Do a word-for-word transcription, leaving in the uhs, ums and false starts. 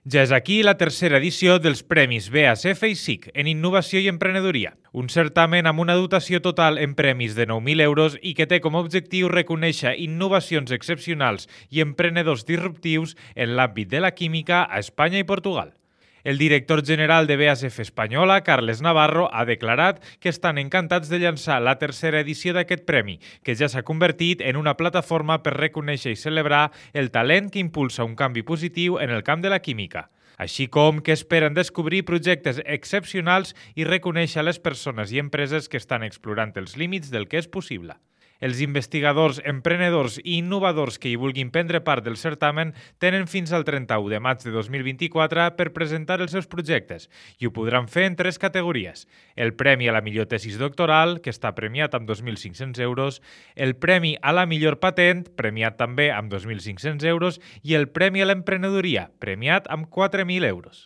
Ja és aquí la tercera edició dels Premis B A S F i S I C en Innovació i Emprenedoria, un certamen amb una dotació total en premis de nou mil euros i que té com a objectiu reconèixer innovacions excepcionals i emprenedors disruptius en l'àmbit de la química a Espanya i Portugal. El director general de B A S F Espanyola, Carles Navarro, ha declarat que estan encantats de llançar la tercera edició d'aquest premi, que ja s'ha convertit en una plataforma per reconèixer i celebrar el talent que impulsa un canvi positiu en el camp de la química, així com que esperen descobrir projectes excepcionals i reconèixer les persones i empreses que estan explorant els límits del que és possible. Els investigadors, emprenedors i innovadors que hi vulguin prendre part del certamen tenen fins al trenta-u de maig de dos mil vint-i-quatre per presentar els seus projectes i ho podran fer en tres categories. El Premi a la millor tesis doctoral, que està premiat amb dos mil cinc-cents euros, el Premi a la millor patent, premiat també amb dos mil cinc-cents euros, i el Premi a l'emprenedoria, premiat amb quatre mil euros.